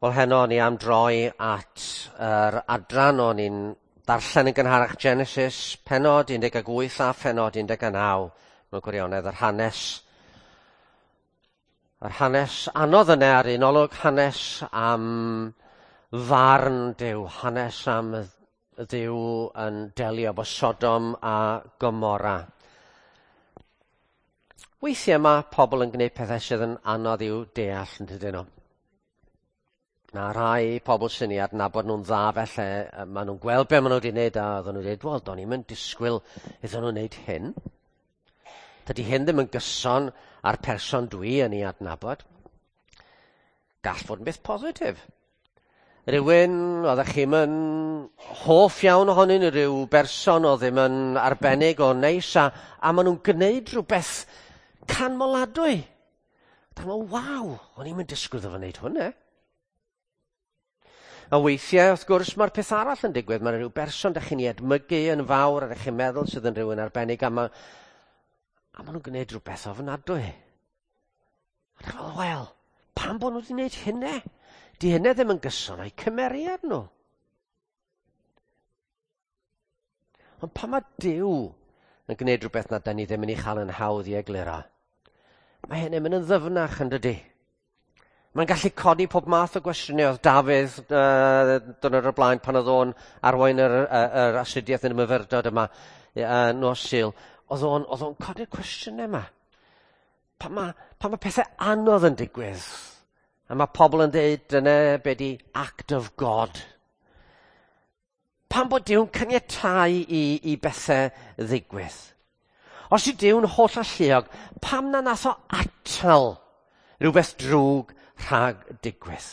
Wel, heno ni am droi at yr adran o'n i'n darllen yn gynharach Genesis, penod 18 a phenod 19, mewn gwirionedd yr hanes. Yr hanes anodd yna ar un olwg, hanes am farn Duw, hanes am Dduw yn delio efo Sodom a Gomorra. Weithiau mae pobl yn gwneud pethau sydd yn anodd i'w deall yn dydyn nhw. Mae rhai pobl sy'n ei adnabod nhw'n dda felly, maen nhw'n gweld be maen nhw wedi wneud a oedden nhw'n dweud, wel, do'n i'm yn disgwyl iddyn nhw wneud hyn. Dydy hyn ddim yn gyson â'r person dwi yn ei adnabod. Gall fod yn beth positif. Rhywun oeddech chi'm yn hoff iawn ohonyn nhw, rhyw berson oedd ddim yn arbennig o neis, a, a maen nhw'n gwneud rhywbeth canmoladwy. Dyma, waw, o'n i'm yn disgwyl iddo fo wneud hwnna. A weithiau, wrth gwrs, mae'r peth arall yn digwydd. Mae rhyw berson da chi'n ei edmygu yn fawr a ydych chi'n meddwl sydd yn rhywun arbennig, a, ma, a maen nhw'n gwneud rhywbeth ofnadwy. A dwi'n meddwl, wel, pam bod nhw wedi gwneud hynna? Di hynna ddim yn gyson o'i cymeriad nhw. Ond pan mae Duw yn gwneud rhywbeth na da ni ddim yn ei chael yn hawdd i egluro, mae hynny'n mynd yn ddyfnach yn dydy. Mae'n gallu codi pob math o gwestiynau. Oedd Dafydd dwrnod o'r blaen pan oedd o'n arwain yr, yr, yr astudiaeth yn y myfyrdod yma nos Sul. Oedd o'n, oedd o'n codi'r cwestiynau yma. Pan mae, pan mae pethau anodd yn digwydd, a mae pobl yn dweud dyna be di act of God. Pam bod Duw'n caniatáu i, i bethau ddigwydd? Os yw Duw'n holl alluog, pam na nath o atal rhywbeth drwg rhag digwydd?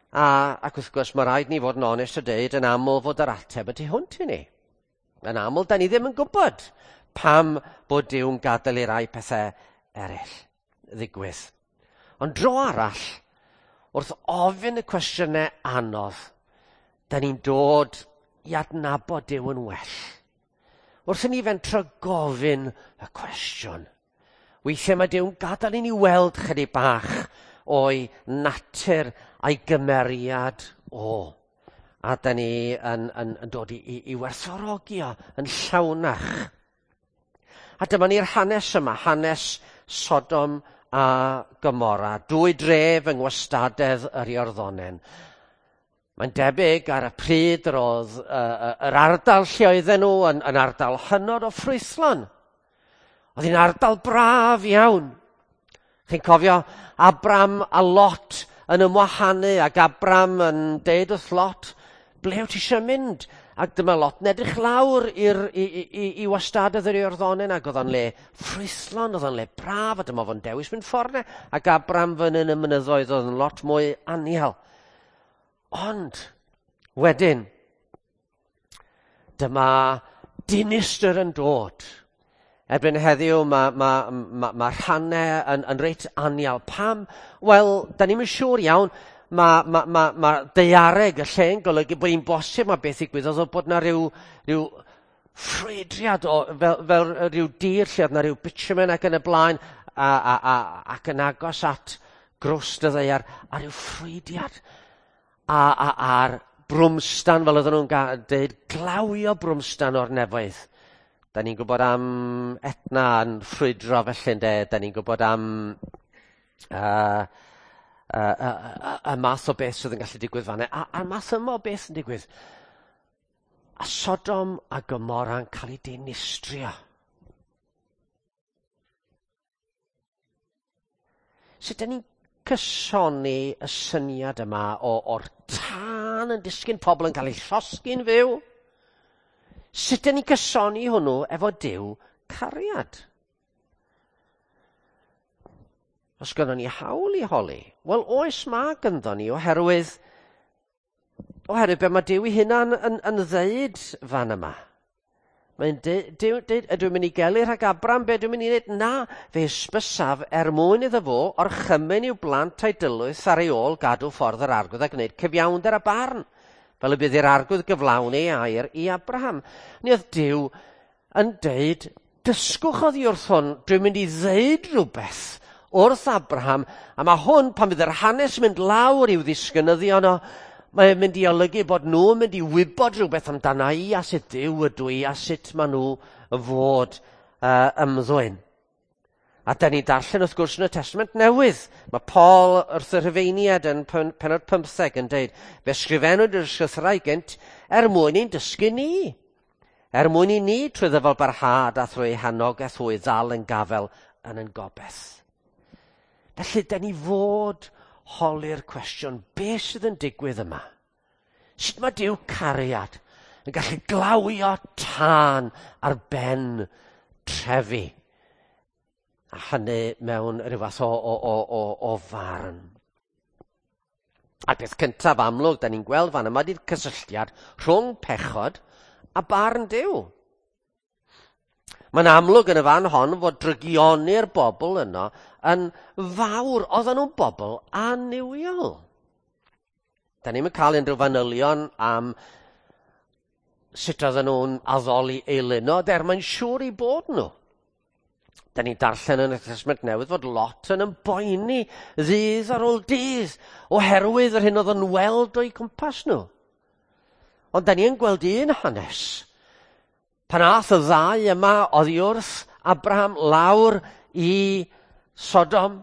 A, ac wrth gwrs, mae rhaid ni fod yn onest a deud yn aml fod yr ateb y tu hwnt i ni. Yn aml, da ni ddim yn gwybod pam bod Duw'n gadael i rai pethau eraill ddigwydd. Ond dro arall, wrth ofyn y cwestiynau anodd, da ni'n dod i adnabod Duw yn well. Wrth i ni fentro gofyn y cwestiwn, weithiau mae Duw'n gadael i ni weld chydig bach o'i natur a'i gymeriad o. A da ni yn, yn, yn dod i, i, i werthfawrogi o yn llawnach. A dyma ni'r hanes yma, hanes Sodom a Gomorra, dwy dref yng ngwastadedd yr Iorddonen. Mae'n debyg ar y pryd yr oedd uh, yr ardal lle oedden nhw yn, yn ardal hynod o ffrwythlon. Oedd hi'n ardal braf iawn. Chi'n cofio Abram a Lot yn ymwahanu ac Abram yn deud wrth Lot, ble wyt ti eisiau mynd? Ac dyma Lot yn edrych lawr i'r, i, i, i, i wastadedd yr Iorddonen ac oedd o'n le ffrwythlon, oedd o'n le braf, a dyma fo'n dewis mynd ffordd 'na. Ac Abram fyny yn y mynyddoedd oedd yn lot mwy anial. Ond, wedyn, dyma dinistr yn dod. Erbyn heddiw mae, mae, mae, mae rhannau yn, yn reit anial. Pam? Wel, da ni'n siŵr iawn. Mae, mae, mae, mae daeareg y lle'n golygu bod hi'n bosib mae beth ddigwyddodd oedd bod na rhyw, rhyw ffrwydriad o, fel, fel rhyw dir lle oedd na rhyw bitumen ac yn y blaen a, a, a, ac yn agos at grwst y ddaear a rhyw ffrwydiad a, a, a'r brwmstan, fel oedden nhw'n dweud, glawio brwmstan o'r nefoedd. Da ni'n gwybod am Etna yn ffrwydro felly, ynde? Da ni'n gwybod am uh, uh, uh, uh, y math o beth sydd yn gallu digwydd fanna. A, a'r math yma o beth yn digwydd. A Sodom a Gomorra'n cael ei dinistrio. Sut da ni'n cysoni y syniad yma o, o'r tân yn disgyn, pobl yn cael eu llosgi'n fyw? Sut da ni'n cysoni hwnnw efo Duw cariad? Os gynnon ni hawl i holi, wel oes mae gynddo ni oherwydd oherwydd be mae Duw ei hunan yn, yn ddeud fan yma. Mae'n deud, deud, ydw i'n mynd i gelu rhag Abram, be dwi'n mynd i wneud? Na, fe hysbysaf er mwyn iddo fo orchymyn i'w blant a'i dylwyth ar ei ôl gadw ffordd yr arglwydd a gwneud cyfiawnder a barn, fel y bydd i'r arglwydd gyflawn ei air i Abraham. Ni oedd Duw yn deud, dysgwch oddi wrth hwn, dwi'n mynd i ddeud rhywbeth wrth Abraham, a mae hwn, pan fydd yr hanes yn mynd lawr i'w ddisgynyddion o, mae'n mynd i olygu bod nhw'n mynd i wybod rhywbeth amdana i a sut Duw ydw i a sut maen nhw fod ymddwyn. A da ni'n darllen wrth gwrs yn y Testament Newydd. Mae Paul wrth y Rhufeiniad yn penod 15 yn dweud, fe sgrifennwyd yr ysgrythurau gynt er mwyn i'n dysgu ni. Er mwyn i ni trwy ddyfal barhad a thrwy hanogaeth hwy ddal yn gafel yn yn gobeith. Felly, da ni fod holi'r cwestiwn, beth sydd yn digwydd yma? Sut mae Duw cariad yn gallu glawio tân ar ben trefi? A hynny mewn rhyw fath o farn. A'r peth cyntaf amlwg, da ni'n gweld fan yma, ydy'r cysylltiad rhwng pechod a barn Duw. Mae'n amlwg yn y fan hon fod drygioni'r bobl yno yn fawr. Oedden nhw'n bobl annuwiol. Da ni'm yn cael unrhyw fanylion am sut oedden nhw'n addoli eilunod, er mae'n siŵr i bod nhw. Da ni'n darllen yn y Testament Newydd fod Lot yn ymboeni ddydd ar ôl dydd oherwydd yr hyn oedd yn weld o'i cwmpas nhw. Ond da ni yn gweld un hanes. Pan ath y ddau yma oddi wrth Abraham lawr i Sodom,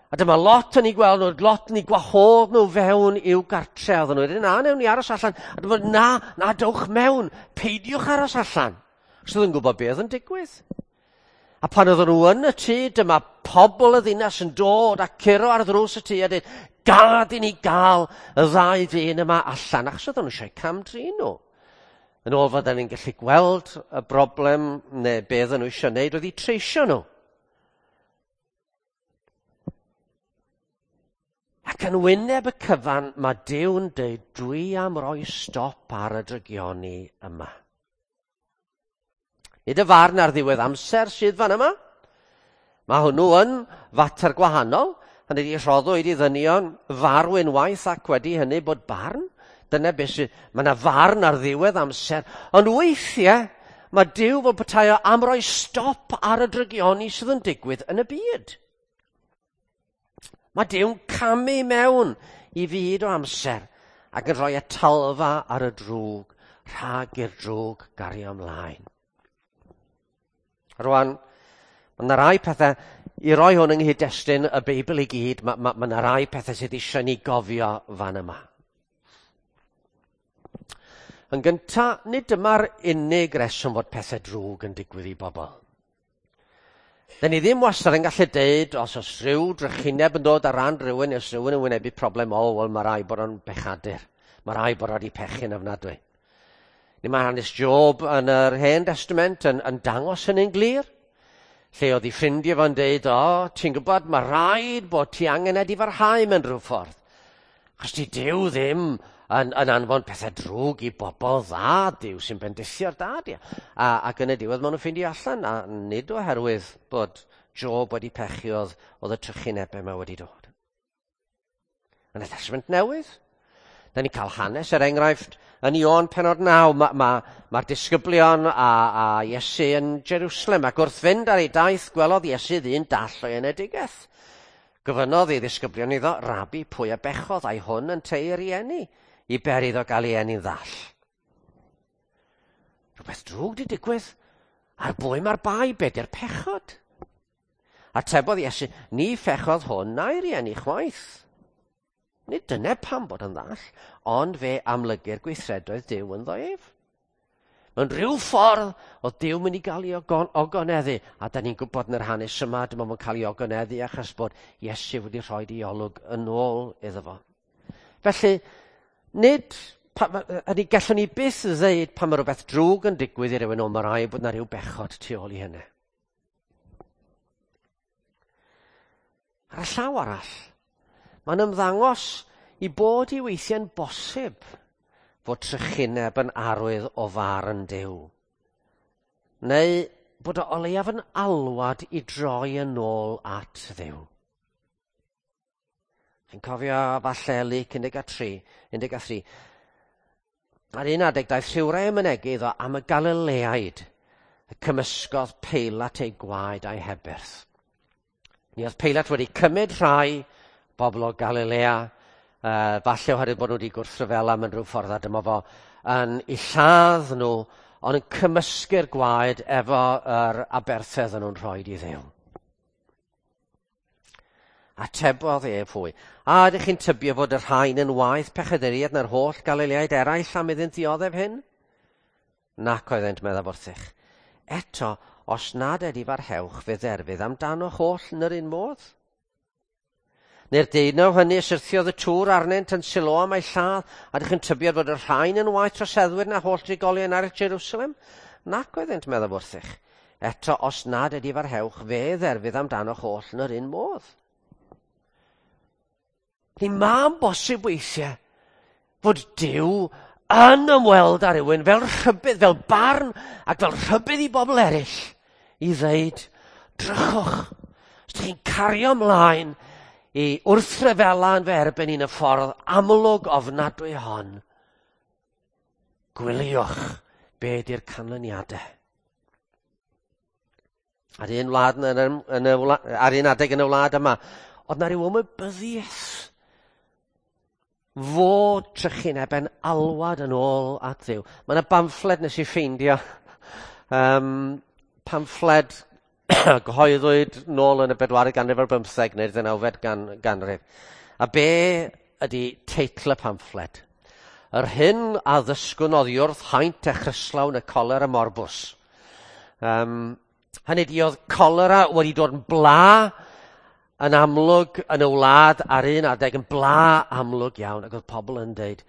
a dyma Lot yn ei gweld nhw, Lot yn ei gwahodd nhw fewn i'w gartre. Oedden nhw wedi, na, newn ni aros allan. A dyma, na, dewch mewn, peidiwch aros allan. Achos oedd yn gwybod beth oedd yn digwydd. A pan oedden nhw yn y tŷ, dyma pobl y ddinas yn dod a curo ar ddrws y tŷ a dweud, gad i ni gael y ddau ddyn yma allan, achos oedden nhw eisiau cam-drin nhw. Yn ôl fod ni'n gallu gweld y broblem neu beth oedden nhw eisiau wneud oedd i treisio nhw. Ac yn wyneb y cyfan, mae Duw'n dweud, dwi am roi stop ar y drygioni yma. Nid y farn ar ddiwedd amser sydd fan yma. Mae hwnnw yn fater gwahanol. Hynny ydi, rhoddwyd i ddynion farw unwaith ac wedi hynny bod barn. Dyna beth sydd, mae yna farn ar ddiwedd amser. Ond weithiau, mae Duw fel petai o am roi stop ar y drygioni sydd yn digwydd yn y byd. Mae Duw'n camu mewn i fyd o amser ac yn rhoi atalfa ar y drwg, rhag i'r drwg gario ymlaen. Rwan, mae yna rai pethau, i roi hwn yng nghyd-destun y Beibl i gyd, mae yna rai pethau sydd eisiau ni gofio fan yma. Yn gyntaf, nid dyma'r unig reswm fod pethau drwg yn digwydd i bobl. Da ni ddim wastad yn gallu deud, os oes rhyw drychineb yn dod ar ran rhywun, os rhywun yn wynebu problem, o, wel, mae rai bod o'n bechadur. Mae rai bod wedi pechu'n ofnadwy. Ni mae hanes Job yn yr Hen Testament yn dangos hynny'n glir. Lle oedd ei ffrindiau fo'n deud, o, ti'n gwybod, mae rhaid bod ti angen edifarhau mewn rhyw ffordd. Achos di Duw ddim yn anfon pethau drwg i bobl dda, Duw sy'n bendithio'r da, di. Ac yn y diwedd maen nhw'n ffeindio allan, a nid oherwydd bod Job wedi pechu oedd y trychinebau yma wedi dod. Yn y Testament Newydd, da ni'n cael hanes, er enghraifft, yn Ioan penod 9, mae'r disgyblion a Iesu yn Jerusalem, ac wrth fynd ar ei daith gwelodd Iesu ddyn dall o'i enedigaeth. Gofynnodd ei ddisgyblion iddo, Rabi, pwy a bechodd, ai hwn yn tei rieni, i ber iddo gael ei eni'n ddall. Rhywbeth drwg di digwydd, ar bwy mae'r bai, be di'r pechod? Atebodd Iesu, ni phechodd hwn na'i rieni chwaith. Nid dyna pam bod yn ddall, ond fe amlygir gweithredoedd Duw ynddo ef. Mewn rhyw ffordd, oedd Duw mynd i gael ei ogoneddu, a da ni'n gwybod yn yr hanes yma, dyma fo'n cael ei ogoneddu achos bod Iesu wedi rhoi ei olwg yn ôl iddo fo. Felly, nid, hynny gallwn ni byth ddeud pan mae rhywbeth drwg yn digwydd i rywun, o, mae rhaid bod yna rhyw bechod tu ôl i hynny. Ar y llaw arall, mae'n ymddangos i bod i weithiau'n bosib fod trychineb yn arwydd o farn Duw. Neu bod o leiaf yn alwad i droi yn ôl at Dduw. Chi'n cofio falle Luc 13, 13. Ar un adeg daeth rhywrai yn mynegi iddo am y Galileaid, y cymysgodd Peilat ei gwaed a'i hebyrth. Mi oedd Peilat wedi cymryd rhai bobl o Galilea, falle oherwydd bod nhw wedi gwrthryfela mewn rhyw ffordd, a dyma fo yn eu lladd nhw, ond yn cymysgu'r gwaed efo yr aberthedd yn nhw'n rhoi i Dduw. Atebodd ef hwy, a ydych chi'n tybio fod y rhain yn waeth pechaduriaid na'r holl Galileaid eraill am iddynt ddioddef hyn? Nac oeddent, meddaf wrthych. Eto, os nad edifarhewch, fe dderfydd amdanoch oll yn yr un modd. Neu'r deunaw hynny syrthiodd y tŵr arnynt yn Siloam a'i lladd, a ydych chi'n tybio fod y rhain yn waeth troseddwyr na holl drigolion arall Jerusalem? Nac oeddent, meddaf wrthych. Eto, os nad edifarhewch, fe dderfydd amdanoch oll yn yr un modd. Ni mae'n bosib weithiau fod Duw yn ymweld â rhywun fel rhybudd, fel barn ac fel rhybudd i bobl eraill i ddeud, drychwch, os ydych chi'n cario ymlaen i wrthryfela yn fy erbyn i'n y ffordd amlwg ofnadwy hon, gwyliwch be di'r canlyniadau. Ar un wlad yn y, yn y, ar un adeg yn y wlad yma, oedd na ryw ymwybyddiaeth fod trychineb yn alwad yn ôl at Dduw. Mae yna bamffled nes i ffeindio. Pamffled gyhoeddwyd nôl yn y bedwaredd ganrif ar bymtheg neu'r ddeunawfed ganrif. A be ydy teitl y pamffled? Yr hyn a ddysgwn oddi wrth haint echryslawn y colera morbus. Hynny ydi, oedd colera wedi dod yn bla yn amlwg yn y wlad ar un adeg, yn bla amlwg iawn, ac oedd pobl yn deud,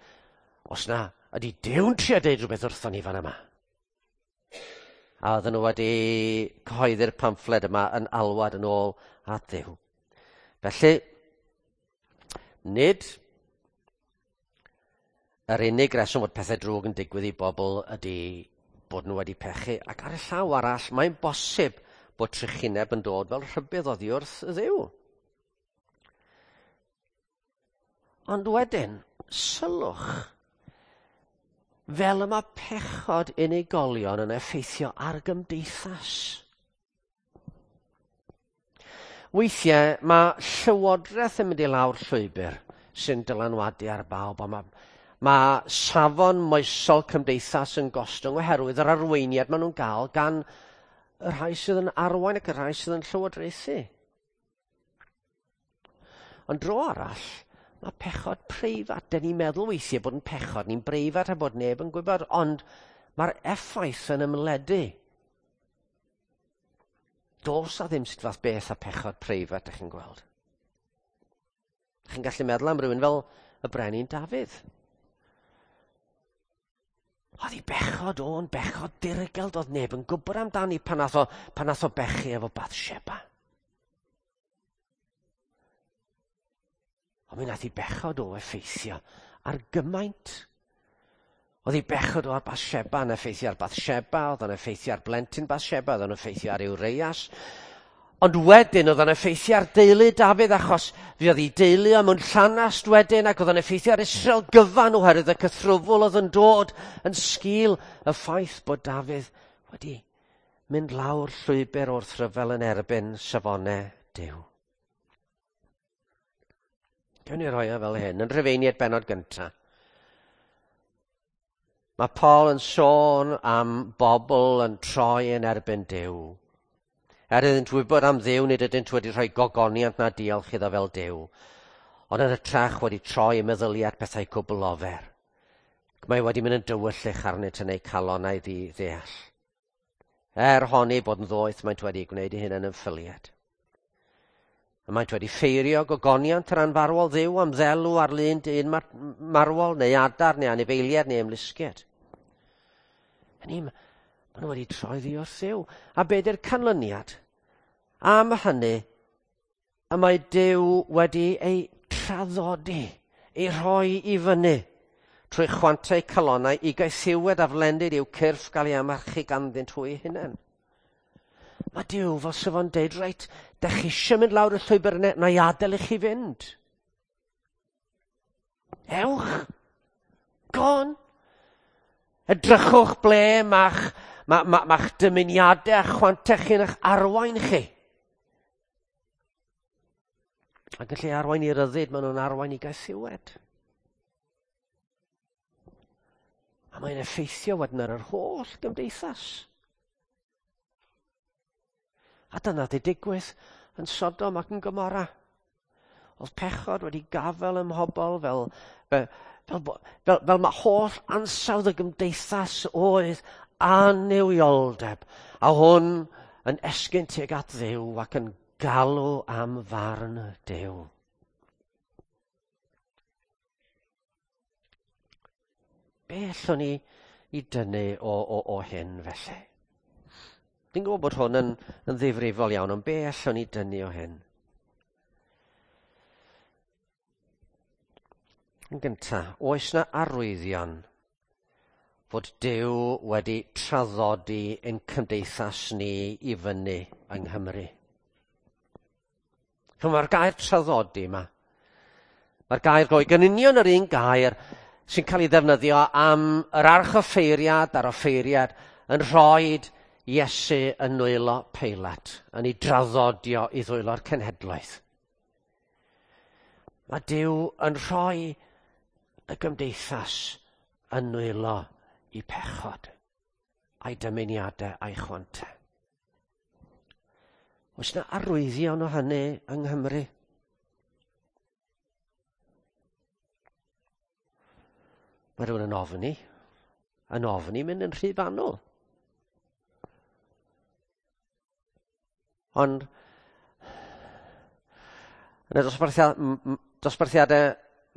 os na, ydy Duw'n trio deud rhywbeth wrthon ni fan yma? A oedden nhw wedi cyhoeddi'r pamffled yma yn alwad yn ôl at Dduw. Felly, nid yr unig reswm fod pethau drwg yn digwydd i bobl ydy bod nhw wedi pechu, ac ar y llaw arall, mae'n bosib bod trychineb yn dod fel rhybudd oddi wrth y Dduw. Ond wedyn, sylwch, fel y mae pechod unigolion yn effeithio ar gymdeithas. Weithiau mae llywodraeth yn mynd i lawr llwybr sy'n dylanwadu ar bawb, a mae safon moesol cymdeithas yn gostwng oherwydd yr arweiniad maen nhw'n gael gan y rhai sydd yn arwain ac y rhai sydd yn llywodraethu. Ond dro arall, mae pechod preifat. Dyn ni'n meddwl weithiau bod yn pechod ni'n breifat a bod neb yn gwybod, ond mae'r effaith yn ymledu. Does a ddim sut fath beth a pechod preifat, ydych chi'n gweld. Ydych chi'n gallu meddwl am rhywun fel y brenin Dafydd. Oedd ei bechod o'n bechod dirgel, doedd neb yn gwybod amdani pan nath o bechu efo Bathsheba. Ond mi nath ei bechod o effeithio ar gymaint. Oedd ei bechod o ar Bathsheba yn effeithio ar Bathsheba, oedd o'n effeithio ar blentyn Bathsheba, oedd o'n effeithio ar Urias. Ond wedyn oedd o'n effeithio ar deulu Dafydd, achos fe oedd ei deulu o mewn llanast wedyn, ac oedd o'n effeithio ar Israel gyfan oherwydd y cythrwfwl oedd yn dod yn sgil y ffaith bod Dafydd wedi mynd lawr llwybr wrth ryfel yn erbyn safonau Duw. Gawn ni roi o fel hyn, yn Rhufeiniaid bennod gyntaf. Mae Paul yn sôn am bobl yn troi yn erbyn Duw. Er iddynt wybod am Dduw, nid ydynt wedi rhoi gogoniant na diolch iddo fel Duw, ond yn hytrach wedi troi y meddyliad pethau cwbl ofer. Ac mae wedi mynd yn dywyllych arnynt yn eu calonnau ddeall. Er honni bod yn ddoeth, maent wedi gwneud eu hunain yn ffyliad. A maent wedi ffeirio gogoniant yr anfarwol Dduw am ddelw ar lun dyn marwol, neu adar, neu anifeiliaid, neu ymlusgiad. Hynny, maen nhw wedi troi ddi wrth Dduw. A be di'r canlyniad? Am hynny, y mae Duw wedi ei traddodi, ei rhoi i fyny, trwy chwantau calonnau i gaethiwed a flendid i'w cyrff gael ei amarchu ganddynt hwy hunain. Mae Duw fel sef o'n deud, reit, dych chi eisiau mynd lawr y llwybr yna, na i adael i chi fynd. Ewch. Gone. Edrychwch ble mae'ch dymuniadau a chwantau chi'n eich arwain chi. Ac yn lle arwain i ryddid, maen nhw'n arwain i gaethiwed. A mae'n effeithio wedyn ar yr holl gymdeithas. A dyna di digwydd yn Sodom ac yn Gomorra. Oedd pechod wedi gafel ym mhobl fel mae holl ansawdd y gymdeithas oedd annuwioldeb. A hwn yn esgyn tuag at Dduw ac yn galw am farn Duw. Be allwn ni i dynnu o hyn felly? Dwi'n gwybod bod hwn yn ddifrifol iawn, ond be allwn ni dynnu o hyn? Yn gyntaf, oes na arwyddion fod Duw wedi traddodi ein cymdeithas ni i fyny yng Nghymru? Mae'r gair traddodi yma, mae'r gair Groeg yn union yr un gair sy'n cael ei ddefnyddio am yr archoffeiriad a'r offeiriad yn rhoi Iesu yn nwylo Peilat, yn ei draddodio i ddwylo'r cenhedloedd. Mae Duw yn rhoi y gymdeithas yn nwylo i pechod, a'i dymuniadau a'i chwantau. Oes yna arwyddion o hynny yng Nghymru? Mae rhywun yn ofni mynd yn rhy fanwl. Ond yn y dosbarthiadau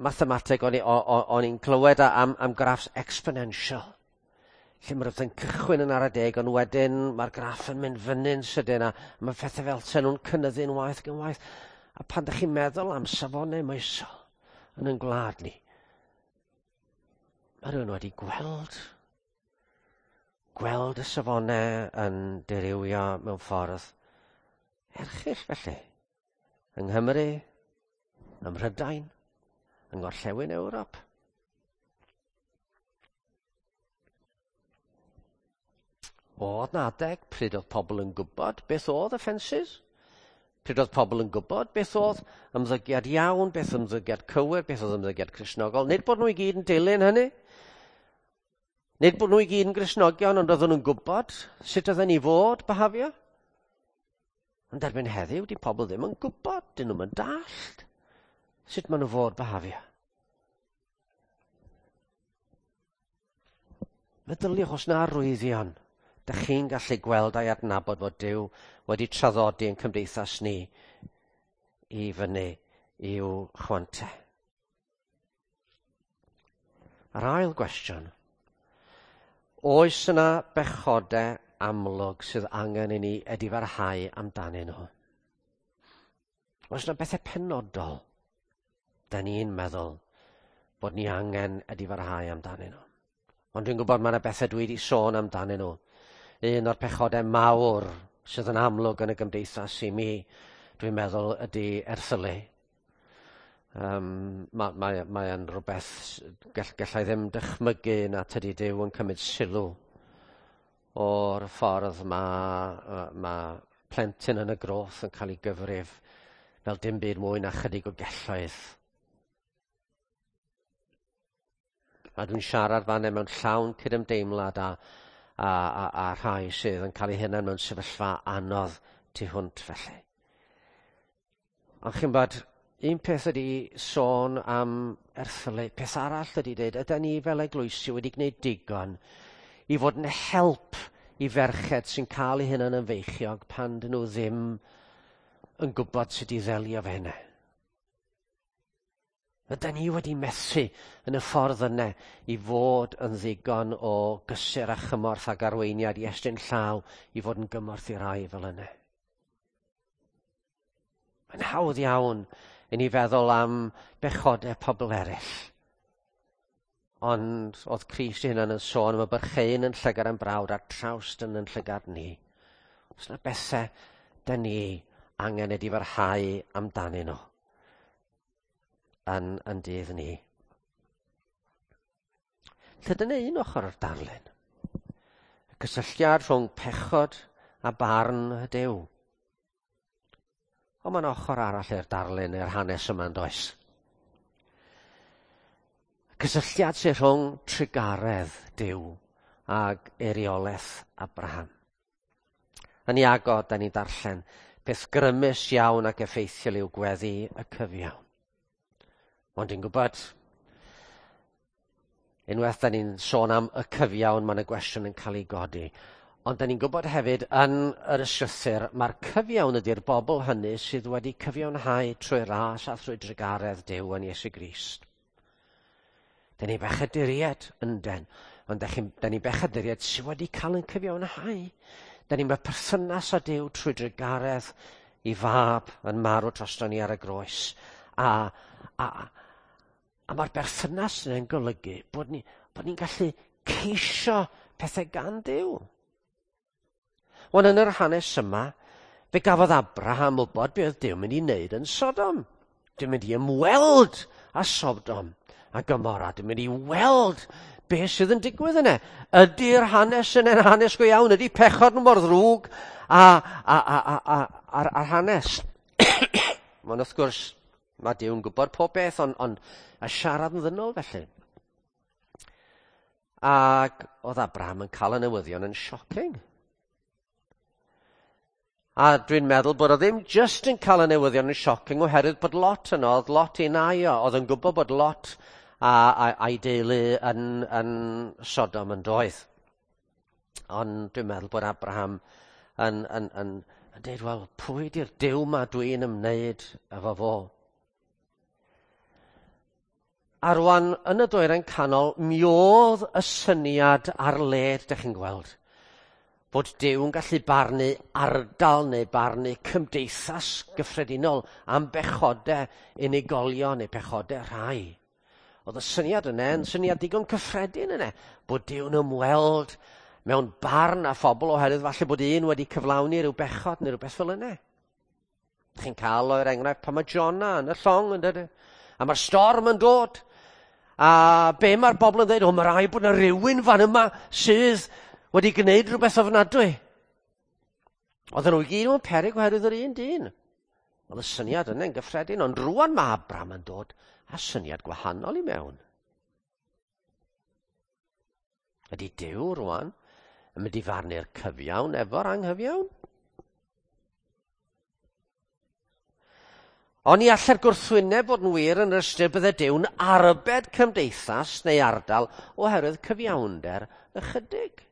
mathemateg o'n i'n clywed am graffs exponential, lle mae rhywbeth yn cychwyn yn ara deg, ond wedyn mae'r graff yn mynd fyny'n sydyn a mae pethau fel sen nhw'n cynyddu'n waeth ac yn waeth. A pan ydych chi'n meddwl am safonau moesol yn ein gwlad ni, mae rhywun wedi gweld y safonau yn dirywio mewn ffordd erchyll felly. Yng Nghymru, ym Mhrydain, yng Ngorllewin Ewrop. Oedd na adeg pryd oedd pobl yn gwybod beth oedd offences, pryd oedd pobl yn gwybod beth oedd ymddygiad iawn, beth oedd ymddygiad cywir, beth oedd ymddygiad Cristnogol. Nid bod nhw i gyd yn dilyn hynny. Nid bod nhw i gyd yn Gristnogion, ond oedden nhw'n gwybod sut oedden ni fod behafio. Ond erbyn heddiw, di pobl ddim yn gwybod, dyn nhw'm yn dallt sut maen nhw fod behafio. Meddyliwch os na arwyddion, dych chi'n gallu gweld a'i adnabod fod Duw wedi traddodi yn cymdeithas ni i fyny i'w chwantau. A'r ail gwestiwn, oes yna bechodau amlwg sydd angen i ni edifarhau amdanyn nhw? Oes yna bethau penodol da ni'n meddwl bod ni angen edifarhau amdanyn nhw? Ond dwi'n gwybod mae yna bethau dwi wedi sôn amdanyn nhw. Un o'r pechodau mawr sydd yn amlwg yn y gymdeithas i mi, dwi'n meddwl, ydy erthylu. Mae'n rhywbeth gallai ddim dychmygu na tydi Duw yn cymryd sylw o'r ffordd mae plentyn yn y groth yn cael ei gyfrif fel dim byd mwy na chydig o gelloedd. A dwi'n siarad fan hyn mewn llawn cydymdeimlad a rhai sydd yn cael eu hunain mewn sefyllfa anodd tu hwnt felly. Ond chi'n bod, un peth ydy sôn am erthylu, peth arall ydy dweud, ydy ni fel eglwysi wedi gwneud digon i fod yn help i ferched sy'n cael eu hunain yn feichiog pan dyn nhw ddim yn gwybod sut i ddelio fe hynny. Ydy ni wedi methu yn y ffordd yna i fod yn ddigon o gysur a chymorth ac arweiniad i estyn llaw i fod yn gymorth i rai fel yna. Mae'n hawdd iawn i ni feddwl am bechodau pobl eraill. Ond oedd Crist ei hunan yn sôn am y byrchein yn llygad am brawd a'r trawst yn llygad ni. Oes yna bethau da ni angen edifarhau amdanyn nhw yn dydd ni. Lle dyna un ochr o'r darlun. Y cysylltiad rhwng pechod a barn Duw. Ond mae'n ochr arall i'r darlun, i'r hanes yma yn does. Cysylltiad sy'n rhwng trugaredd Duw ag eiriolaeth Abraham. Yn Iago, da ni'n darllen, peth grymus iawn ac effeithiol yw gweddi y cyfiawn. Ond dwi'n gwybod, unwaith da ni'n sôn am y cyfiawn, mae yna gwestiwn yn cael ei godi. Ond da ni'n gwybod hefyd yn yr ysgrythur, mae'r cyfiawn ydy'r bobl hynny sydd wedi cyfiawnhau trwy ras a thrwy drugaredd Duw yn Iesu Grist. Da ni bechaduriaid ynden, ond da, chi, da ni bechaduriaid sydd wedi cael yn cyfiawnhau. Da ni'n mewn perthynas â Duw trwy drugaredd i fab yn marw drosto ni ar y groes. A, a, a mae'r berthynas yna'n golygu bod ni'n bod ni gallu ceisio pethau gan Duw. Wan yn yr hanes yma, fe gafodd Abraham wybod be oedd Duw mynd i wneud yn Sodom. Dwi'n mynd i ymweld â Sodom a Gomorra. Dwi'n mynd i weld beth sydd yn digwydd yna. Ydy'r hanes yn yn hanes go iawn? Ydy pechod yn mor ddrwg a, a, a, a, a, a'r, a'r hanes? Mae'n wrth gwrs, mae Duw'n gwybod pob beth, ond, ond a siarad yn ddynol felly. Ac oedd Abraham yn cael y newyddion yn shocking. A dwi'n meddwl bod o ddim just yn cael y newyddion yn shocking oherwydd bod Lot yno, oedd Lot i nai o, oedd yn gwybod bod Lot a, a, a'i deulu yn, yn Sodom yn doedd. Ond dwi'n meddwl bod Abraham yn, yn, yn, yn dweud, wel, pwy di'r Duw ma dwi'n ymwneud efo fo? A rwan, yn y dwyrain canol, mi oedd y syniad ar led, dych chi'n gweld bod Duw yn gallu barnu ardal neu barnu cymdeithas gyffredinol am bechodau unigolion neu pechodau rhai. Oedd y syniad yna yn syniad digon cyffredin yna, bod Duw'n ymweld mewn barn a phobl oherwydd falle bod un wedi cyflawni rhyw bechod neu rhywbeth fel yna. Chi'n cael o'r enghraifft pan mae Jonah yn y llong yn dod, a mae'r storm yn dod, a be mae'r bobl yn dweud, o mae rhaid bod yna rhywun fan yma sydd wedi gwneud rhywbeth ofnadwy. Oedden nhw i gyd mewn peryg oherwydd yr un dyn. Oedd y syniad yna'n gyffredin, ond rwan mae Abraham yn dod â syniad gwahanol i mewn. Ydy Duw rwan yn mynd i farnu'r cyfiawn efo'r anghyfiawn? Ond ni allai'r gwrthwyneb fod yn wir yn yr ystyr bydde Duw'n arbed cymdeithas neu ardal oherwydd cyfiawnder ychydig.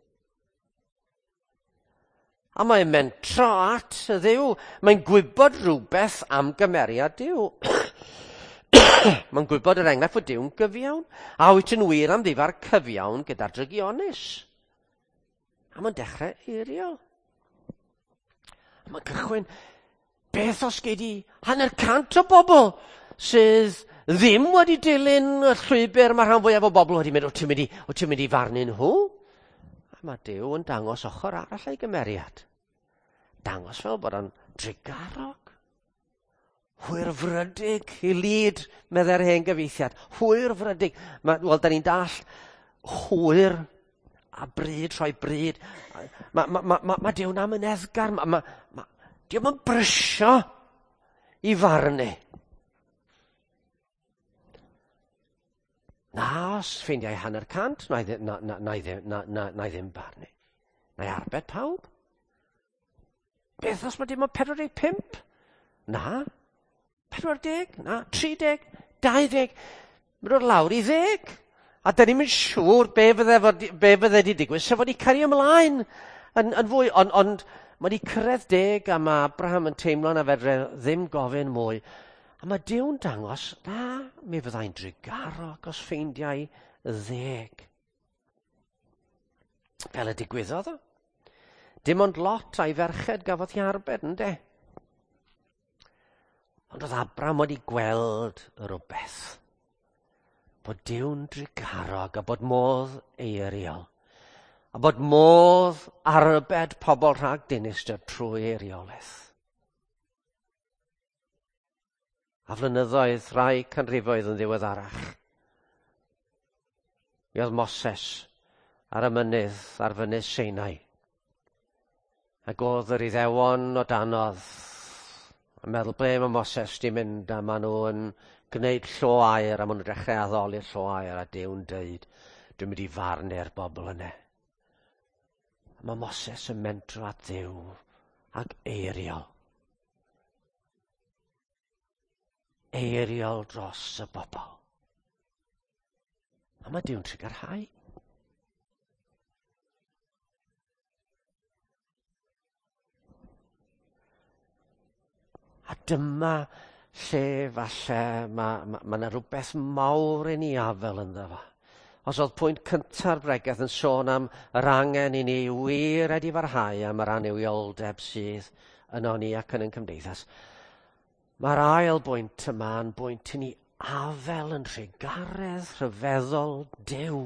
A mae'n mentro at y Dduw. Mae'n gwybod rhywbeth am gymeriad Duw. Mae'n gwybod yr enghraifft fod Duw'n gyfiawn. A wyt yn wir am ddifa'r cyfiawn gyda'r drygionus. A mae'n dechrau eirio. A mae'n cychwyn, beth os gei di 150 o bobl sydd ddim wedi dilyn y llwybr mae rhan fwyaf o bobl wedi mynd, o ti'n mynd i, o ti'n mynd i farnu nhw? A mae Duw yn dangos ochr arall ei gymeriad. Dangos fel bod o'n drugarog. Hwyrfrydig i lid, meddai'r hen gyfieithiad. Hwyrfrydig. Wel, da ni'n dall hwyr a bryd, rhoi bryd. Mae ma, ma, ma, ma Duw'n amyneddgar. Mae ma, ma, Dio'm yn brysio i farnu. Na, os ffeindiau 50, na i, na, na, na, i ddim, na, na, na i ddim barnu. Na i arbed pawb. Beth os mae dim ond 45? Na. 40? Na. 30? 20? Mae'n dod lawr i 10. A da ni'n mynd siŵr be fydde, fod, be fydde wedi digwydd, sef wedi cario ymlaen yn, yn fwy. Ond on, mae wedi cyrraedd 10 a mae Abraham yn teimlo na fedre ddim gofyn mwy. A mae Duw'n dangos, na, mi fyddai'n drugarog os ffeindiau 10. Fel y digwyddodd o. Dim ond Lot a'i ferched gafodd hi arbed, ynde? Ond oedd Abraham wedi gweld rhywbeth. Bod Duw'n drugarog a bod modd eiriol. A bod modd arbed pobl rhag dinistr trwy eiriolaeth. A flynyddoedd, rhai canrifoedd yn ddiweddarach. Mi oedd Moses ar y mynydd, ar fynydd Sinai. Ac oedd yr Iddewon o danodd. A meddwl ble mae Moses di mynd a maen nhw yn gwneud llo aur a maen nhw'n dechrau addoli'r llo aur a Duw'n deud, dwi'n mynd i farnu'r bobl yna. A mae Moses yn mentro at Dduw ac eiriol. Eiriol dros y bobl. A mae Duw'n trugarhau. A dyma lle falle mae 'ma, ma 'na rhywbeth mawr i ni afel ynddo fo. Os oedd pwynt cynta'r bregeth yn sôn am yr angen i ni wir edifarhau am yr annuwioldeb sydd yno ni ac yn ein cymdeithas, mae'r ail bwynt yma yn bwynt i ni afel yn rhugaredd rhyfeddol Duw.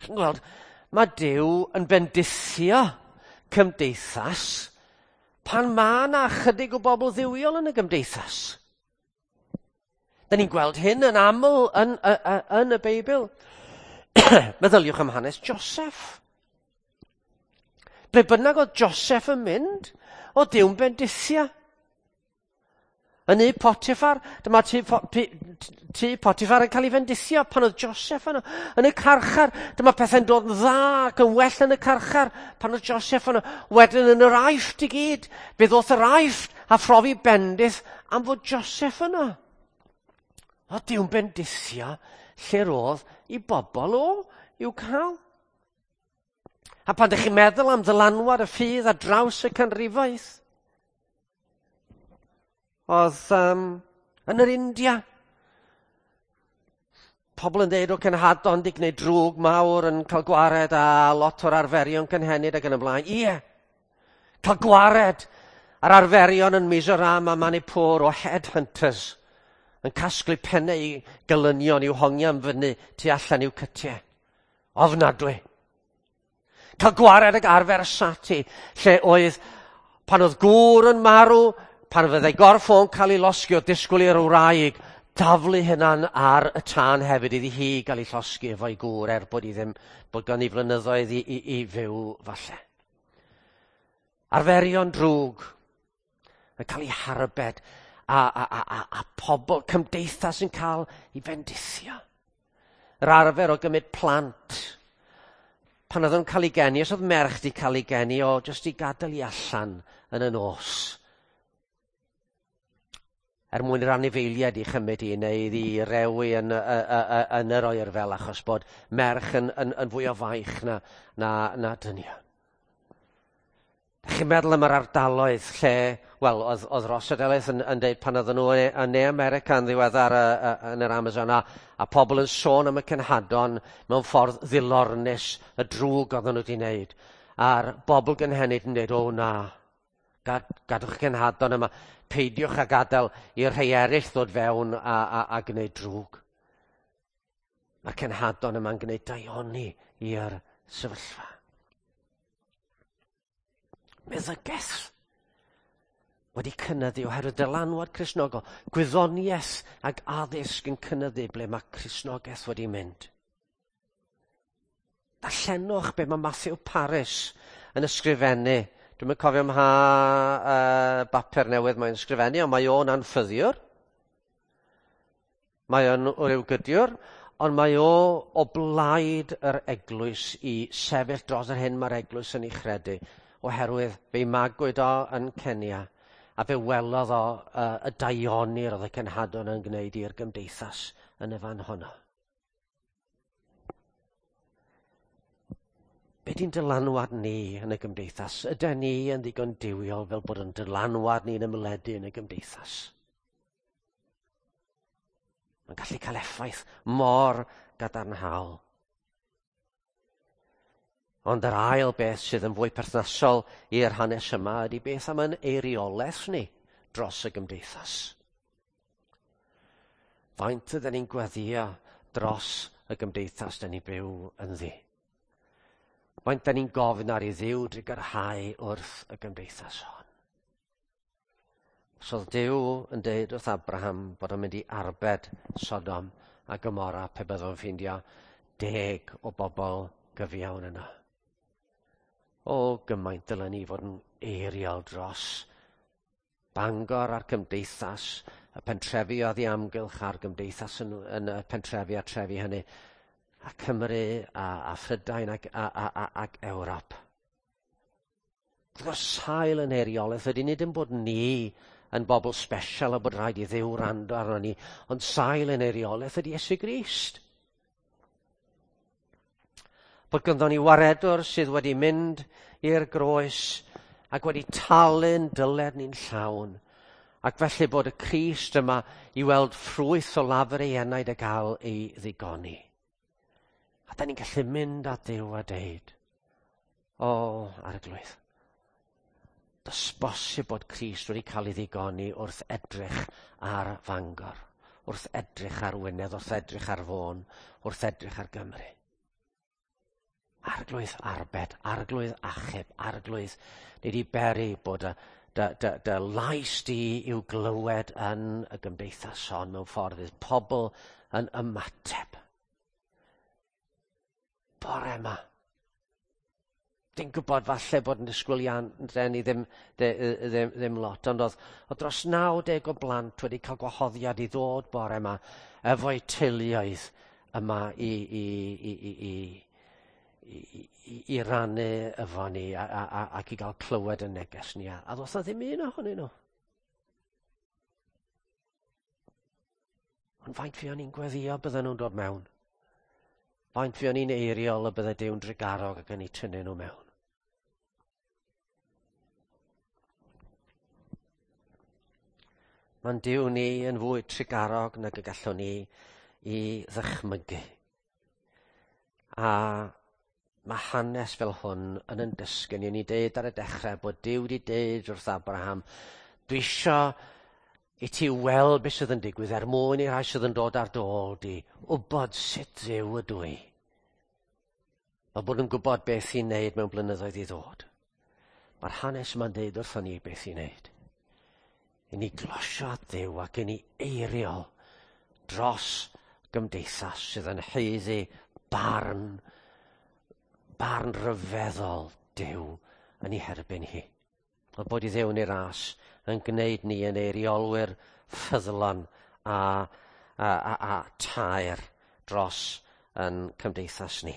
Chi'n gweld, mae Duw yn bendithio cymdeithas pan mae yna chydig o bobl dduwiol yn y gymdeithas. Da ni'n gweld hyn yn aml yn, yn, yn y Beibl. Meddyliwch am hanes Joseph. Ble bynnag oedd Joseph yn mynd, oedd Duw'n bendithio. Yn nŷ Potiphar, dyma tŷ, tŷ Potiphar yn cael ei fendithio pan oedd Joseph yno. Yn y carchar, dyma pethau'n dod yn dda ac yn well yn y carchar pan oedd Joseph yno. Wedyn yn yr Aifft i gyd, fe ddoth yr Aifft a phrofi bendith am fod Joseph yno. O, Duw'n bendithio lle roedd i bobl o i'w cael. A pan ydych chi'n meddwl am ddylanwad y ffydd ar draws y canrifoedd, oedd yn yr India, pobl yn dweud o cenhadon di gwneud drwg mawr yn cael gwared a lot o'r arferion cynhenid ac yn y blaen. Ie, cael gwared ar arferion yn Mizoram a Manipur o headhunters yn casglu pennau i gelynion i'w hongian fyny tu allan i'w cytiau. Ofnadwy. Cael gwared ag arfer sati, lle oedd, pan oedd gŵr yn marw, pan fyddai gorff o'n cael ei losgi, oedd disgwyl i'r wraig daflu hynna'n ar y tân hefyd iddi hi gael ei llosgi efo'i gŵr, er bod i ddim, bod gan i flynyddoedd i, i, i fyw falle. Arferion drwg yn cael ei harbed a, a, a, a, a pobl, cymdeithas yn cael ei fendithio. Yr arfer o gymryd plant pan oedd nhw'n cael ei geni, os oedd merch di cael ei geni, o jyst i gadael i allan yn y nos. Er mwyn i'r anifeiliaid i chymryd i neu iddi rewi yn, yn yr oerfel achos bod merch yn, yn, yn fwy o faich na, na, na dynion. Dach chi'n meddwl am yr ardaloedd lle, wel, oedd, oedd Ross Delyth yn, yn deud pan oedden nhw yn Ne America yn ddiweddar yn yr Amazon, a, a pobl yn sôn am y cenhadon mewn ffordd ddilornus, y drwg oedden nhw wedi wneud. A'r bobl gynhenid yn dweud, o na, gad, gadwch y cenhadon yma, peidiwch a gadael i'r rhai eraill ddod fewn a, a, a gwneud drwg. Mae'r cenhadon yma'n gwneud daioni i'r sefyllfa. Meddygaeth wedi cynyddu oherwydd dylanwad Cristnogol. Gwyddoniaeth ac addysg yn cynyddu ble mae Cristnogaeth wedi mynd. Darllenwch be mae Matthew Parris yn ysgrifennu. Dwi'm yn cofio mha bapur newydd mae'n ysgrifennu, ond mae o'n anffyddiwr. Mae o'n ryw gydiwr, ond mae o o blaid yr eglwys i sefyll dros yr hyn mae'r eglwys yn ei chredu, oherwydd fe'i magwyd o yn Kenya, a fe welodd o y daioni roedd y cenhadon yn gwneud i'r gymdeithas yn y fan honno. Be di'n dylanwad ni yn y gymdeithas? Ydy ni yn ddigon duwiol fel bod yn dylanwad ni'n ymledu yn y gymdeithas? Mae'n gallu cael effaith mor gadarnhaol. Ond yr ail beth sydd yn fwy perthnasol i'r hanes yma ydy beth am yn eiriolaeth ni dros y gymdeithas. Faint ydyn ni'n gweddio dros y gymdeithas dyn ni byw ynddi? Faint dyn ni'n gofyn ar i Dduw drugarhau wrth y gymdeithas hon? Os oedd Duw yn deud wrth Abraham bod o'n mynd i arbed Sodom a Gomorra pe byddwn ffeindio 10 o bobl gyfiawn yno. O, gymaint dylen ni fod yn eiriol dros Bangor a'r cymdeithas, y pentrefi oedd i amgylch a'r gymdeithas yn y pentrefi a trefi hynny, a Cymru a Phrydain ac Ewrop. Wrth sail yn eiriolaeth ydy nid yn bod ni yn bobl special a bod rhaid i Dduw wrando arno ni, ond sail yn eiriolaeth ydy Iesu Grist. Bod ganddo ni waredwr sydd wedi mynd i'r groes ac wedi talu'n dyled ni'n llawn. Ac felly bod y Crist yma i weld ffrwyth o lafur ei enaid a gael ei ddigoni. A da ni'n gallu mynd at Dduw a deud, o, Arglwydd, does bosib bod Crist wedi cael ei ddigoni wrth edrych ar Fangor, wrth edrych ar Wynedd, wrth edrych ar Fôn, wrth edrych ar Gymru. Arglwydd arbed, Arglwydd achub, Arglwydd, ni wedi beri bod dy lais di i'w glywed yn y gymdeithas hon mewn ffordd fydd pobl yn ymateb. Bore yma. Dwi'n gwybod falle bod yn disgwyliadau ni ddim lot, ond oedd dros 90 o blant wedi cael gwahoddiad i ddod bore yma efo'u teuluoedd yma i rannu efo ni ac i gael clywed y neges ni. A ddoth na ddim un ohonyn nhw. Ond faint fuon ni'n gweddio bydden nhw'n dod mewn? Faint fuon ni'n eiriol y bydde Duw'n drugarog ac yn eu tynnu nhw mewn? Mae'n Duw ni yn fwy trugarog nag y gallwn ni i ddychmygu. A mae hanes fel hwn yn dysgu ni. Ni'n deud ar y dechrau bod Duw wedi deud wrth Abraham, dwi isio i ti weld beth sydd yn digwydd er mwyn i'r rhai sydd yn dod ar dy ôl di wybod sut Dduw ydw i. Fel bod yn gwybod beth i'n neud mewn blynyddoedd i ddod. Mae'r hanes yma'n deud wrthon ni beth i'n neud. I ni glosio at Dduw ac i ni eiriol dros gymdeithas sydd yn haeddu barn rhyfeddol Duw yn ei herbyn hi. Ond bod i Dduw yn ei ras yn gwneud ni yn eiriolwyr ffyddlon a taer dros yn cymdeithas ni.